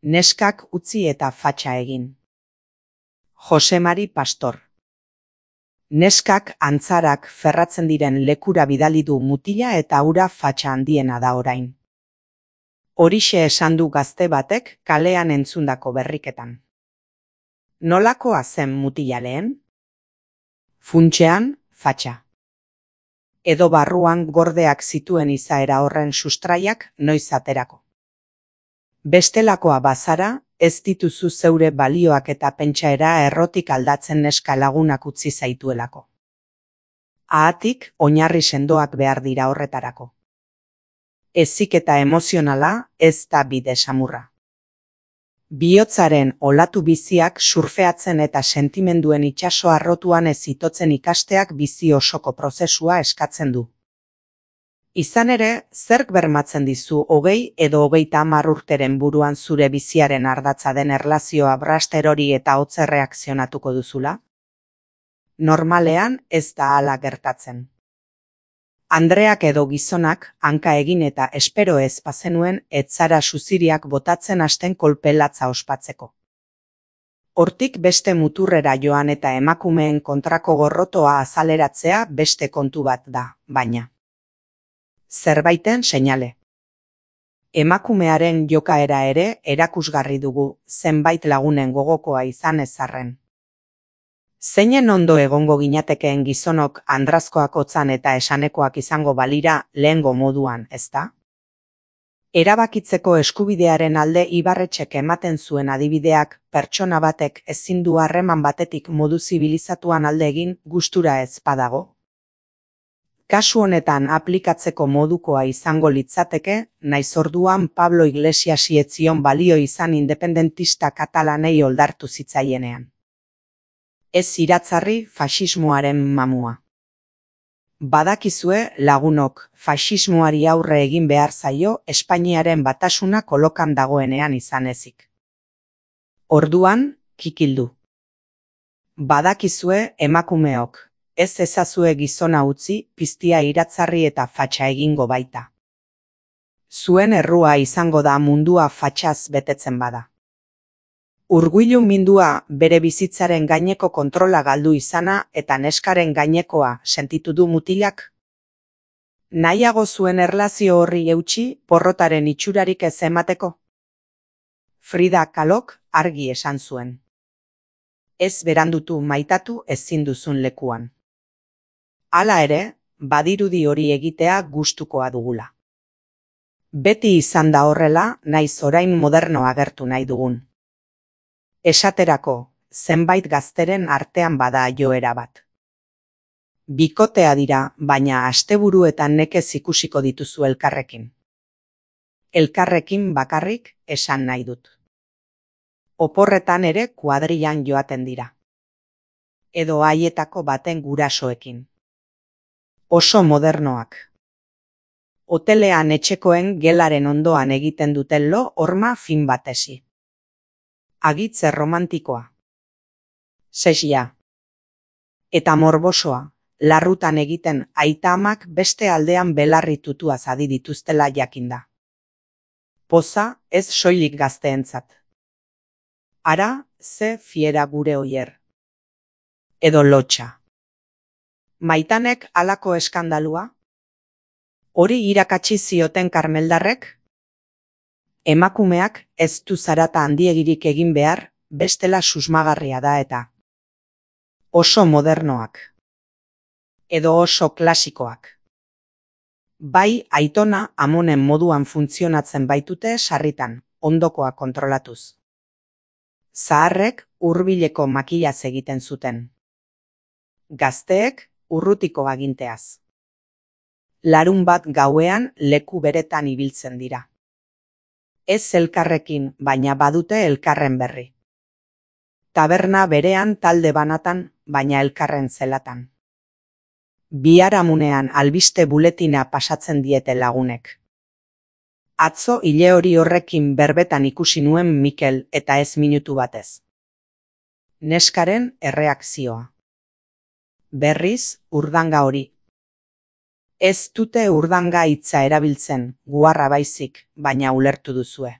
Neskak utzi eta fatxa egin. Jose Mari Pastor. Neskak antzarak ferratzen diren lekura bidali du mutila eta hura fatxa handiena da orain. Horixe esan du gazte batek kalean entzundako berriketan. Nolakoa zen mutila lehen? Funtsean, fatxa. Edo barruan gordeak zituen izaera horren sustraiak noiz aterako. Bestelakoa bazara, ez dituzu zeure balioak eta pentsaera errotik aldatzen neska lagunak utzi zaituelako. Ahatik, oinarri sendoak behar dira horretarako. Heziketa emozionala ez da bide samurra. Bihotzaren olatu biziak surfeatzen eta sentimenduen itsaso arrotuan ez itotzen ikasteak bizi osoko prozesua eskatzen du. Izan ere, zerk bermatzen dizu 20 edo 30 urteren buruan zure biziaren ardatza den erlazioa brasterori eta hotz erreakzionatuko duzula? Normalean ez da hala gertatzen. Andreak edo gizonak hanka egin eta espero ez bazenuen ez zara suziriak botatzen hasten kolpe latza ospatzeko. Hortik beste muturrera joan eta emakumeen kontrako gorrotoa azaleratzea beste kontu bat da, baina. Zerbaiten seinale. Emakumearen jokaera ere erakusgarri dugu zenbait lagunen gogokoa izan ezarren. Zeinen ondo egongo ginatekeen gizonok andrazkoak hotzan eta esanekoak izango balira lehengo moduan, ezta? Erabakitzeko eskubidearen alde Ibarretxek ematen zuen adibideak pertsona batek ezin du harreman batetik modu zibilizatuan alde egin gustura ez badago. Kasu honetan aplikatzeko modukoa izango litzateke, naiz orduan Pablo Iglesiasi ez zion balio izan independentista katalanei oldartu zitzaienean. Ez iratzarri faxismoaren mamua. Badakizue lagunok faxismoari aurre egin behar zaio Espainiaren batasuna kolokan dagoenean izan ezik. Orduan, kikildu. Badakizue emakumeok, ez ezazue gizona utzi piztia iratzarri eta fatxa egingo baita. Zuen errua izango da mundua fatxaz betetzen bada. Urguilu mindua bere bizitzaren gaineko kontrola galdu izana eta neskaren gainekoa sentitu du mutilak? Nahiago zuen erlazio horri eutsi porrotaren itxurarik ez emateko? Frida Kalok argi esan zuen. Ez berandutu maitatu ezin duzun lekuan. Hala ere, badirudi hori egitea gustukoa dugula. Beti izan da horrela, naiz orain moderno agertu nahi dugun. Esaterako, zenbait gazteren artean bada joera bat. Bikotea dira, baina asteburuetan nekez ikusiko dituzu elkarrekin. Elkarrekin bakarrik esan nahi dut. Oporretan ere kuadrilan joaten dira. Edo haietako baten gurasoekin. Oso modernoak. Hotelean etxekoen gelaren ondoan egiten duten lo horma fin batesi. Agitze romantikoa. Sesia. Eta morbosoa, larrutan egiten aita-amak beste aldean belarri tutuaz adi dituztela jakinda. Poza ez soilik gazteentzat. Ara, ze fiera gure oier. Edo lotxa. Maitanek halako eskandalua? Hori irakatsi zioten karmeldarrek? Emakumeak ez du zarata handiegirik egin behar, bestela susmagarria da eta. Oso modernoak. Edo oso klasikoak. Bai aitona amonen moduan funtzionatzen baitute sarritan, ondokoa kontrolatuz. Zaharrek hurbileko makilaz egiten zuten. Gazteek urrutiko aginteaz. Larunbat gauean leku beretan ibiltzen dira. Ez elkarrekin, baina badute elkarren berri. Taberna berean talde banatan, baina elkarren zelatan. Biharamunean albiste buletina pasatzen diete lagunek. Atzo ile hori horrekin berbetan ikusi nuen Mikel eta ez minutu batez. Neskaren erreakzioa. Berriz urdanga hori. Ez dute urdanga hitza erabiltzen, guarra baizik, baina ulertu duzue.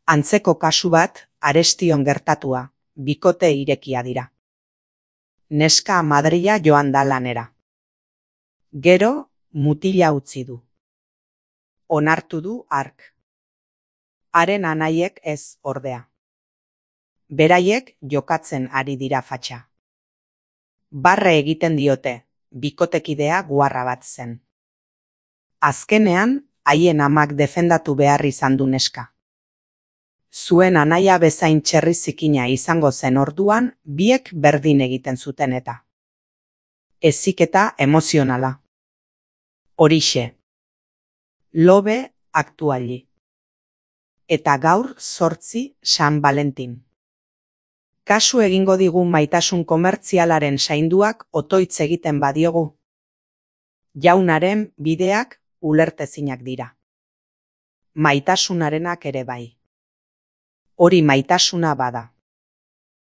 Antzeko kasu bat, Arestion gertatua, bikote irekia dira. Neska Madrila joan da lanera. Gero, mutila utzi du. Onartu du hark. Haren anaiek ez ordea. Beraiek jokatzen ari dira fatxa. Barre egiten diote, bikotekidea guarra bat zen. Azkenean, haien amak defendatu behar izan du neska. Zuen anaia bezain txerri zikina izango zen orduan, biek berdin egiten zuten eta. Heziketa emozionala. Horixe. Lobe aktuali. Eta gaur 8 San Valentin. Kasu egingo digu maitasun komertzialaren zainduak otoitz egiten badiogu. Jaunaren bideak ulertezinak dira. Maitasunarenak ere bai. Hori maitasuna bada.